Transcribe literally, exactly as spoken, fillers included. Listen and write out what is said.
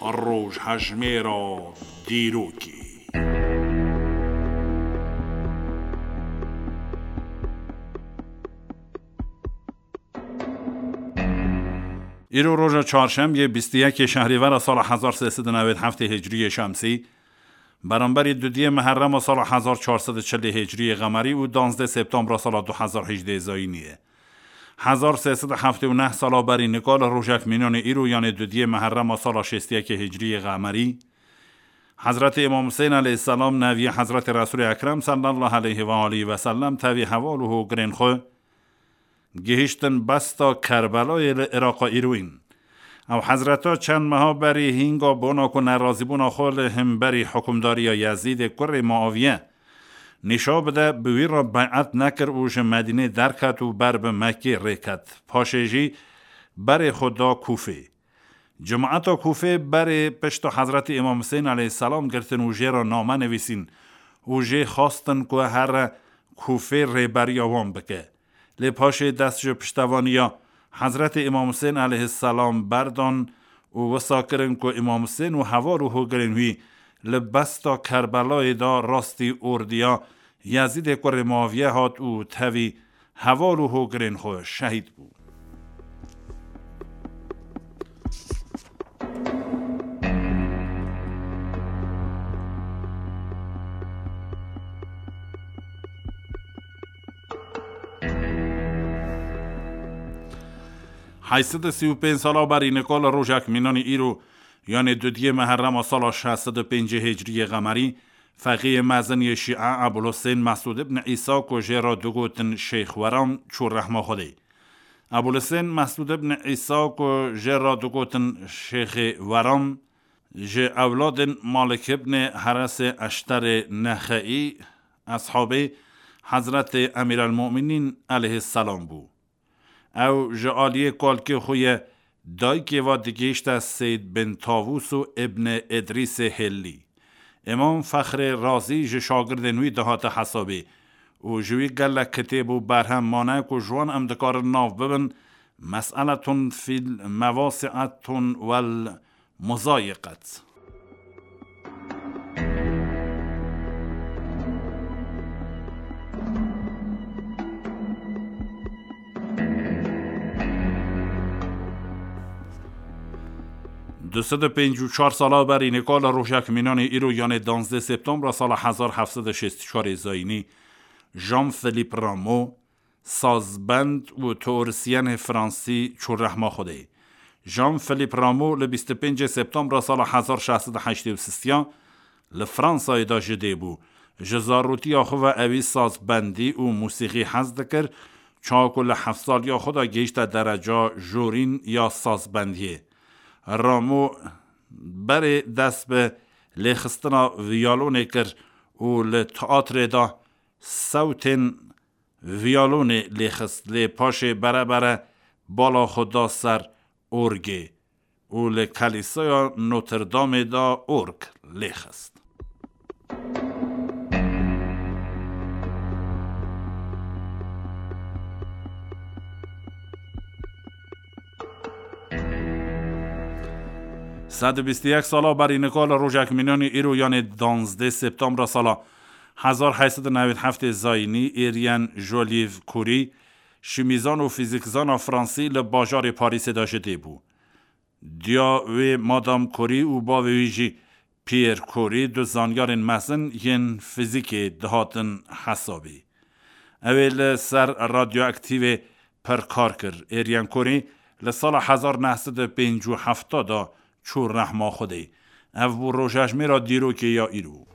Rojhejmêra dîrokê. Îro roja çarşembiyê bîst û yekê şehrîvera sala hezar sê sed û newêd heftê hicriyê şemsî, beramberî dudiyê meherrema sala hezar çar sed û çilê hicriyê qemerî û danzdeh septembra sala du hezar hejdeh zayînî ye. Hezar sê sed û heftê û neh sala berî nika li rojek mînanê îro, yanê dudiyê meherrema sala şêst û yekê hicriyê qemerî, Hezretê Îmam Husên aleyhisselam, neviyê Hezretê Resûlê Ekrem sallallahu aleyhi ve aleyhi ve sellem, tevî heval û hogirên xwe gihiştin besta Kerbelayê li Iraqa îroyîn. Ew hezreta çend meha berî hînga bona ku nerazîbûna xwe li hemberî hukimdariya Yezîdê kurê Muaviye nîşa bide, bi wî re bey'et nekir û ji Medînê derket û ber bi Mekkê rêket. Paşê jî berê xwe da Kûfê. Cemaeta Kûfê berê pişta Hezretî Îmam Husên aleyhisselam girtin û jê re name nivîsîn û jê xwestin ku here Kûfê rêberiya wan bike. Lê paşê dest ji piştevaniya Hezretê Îmam Husên aleyhisselam berdan û wisa kirin ku Îmam Husên û heval û hogirên wî li besta Kerbelayê de rastî ordiya Yezîdê kurê Muaviye hat û tevî heval û hogirên xwe şehîd bû. Heyt sed û sî û pênc sala berî nika li rojek mînanî îro, yanê dudiyê meherrema sala şeş sed û pêncî hicriyê qemerî, feqîyê mezin yê Şîe Ebûlhusên Mesûd ibn Îsa ku jê re digotin Şêx Weram çû rehma Xwedê. Ebûlhusên Mesûd ibn Îsa ku jê re digotin Şêxê Weram, ji ewladên Malik ibn Heresê Eşterê Nexeî, eshabê Hezretê Emîrelmumînîn aleyhisselam bû. Ew ji aliyê kalkê xwe ye dayikê ve digihîşte Seyd bin Tavûs û Ibn Idrîsê Hêllî. Îmam Fexrê Razî ji şagirdên wî dihate hesabê û ji wî gelek kitêb û berhem mane ku ji wan em dikarin nav bibin, Mes'eletun fil Mewasi'etun wel Muzayiqet. Du sed û pêncî û çar sala berî nika li rojek mînanê îro, yanê danzdeh septembra sala hezar heft sed û şêst û çarê zayînî, Jean-Philippe Rameau, sazbend û teorisyenê fransî çû rehma Xwedê. Jean-Philippe Rameau li bîst û pêncê septembra sala hezar şeş sed û heştê û sisiya li Fransayê de ji dê bû. Ji zarûtiya xwe ve ewî sazbendî û mûsîqî hez dikir, çawa ku li heft saliya xwe de gihişte dereca jorîn ya sazbendiyê. Rameau berê dest bi lêxistina viyalonê kir û li teatrê de sewtên viyalonê lêxist, lê paşê bere bere bala xwe da ser orgê û li Kelîsaya Notre Dameê de org lêxist. Sed û bîst û yek sala berî nika li rojek mînanî îro, yanê danzdeh septembra sala hezar heyt sed û newêd heftê zayînî, Êryen Jolîv Kurî, şimîzan û fîzîkzana fransî li bajarê Parîsê de ji dê bû. Diya wê Madam Kurî û bavê wî jî Pierre Kurî du zanyarên mezin yên fîzîkê dihatin hesabî. Ew ê li ser radyoaktîvê pir kar kir. Êryen Kurî li sala hezar neh sed û pêncî û heft de çû rehma Xwedê. Ev bû rojejmêra dîrokê ya îro.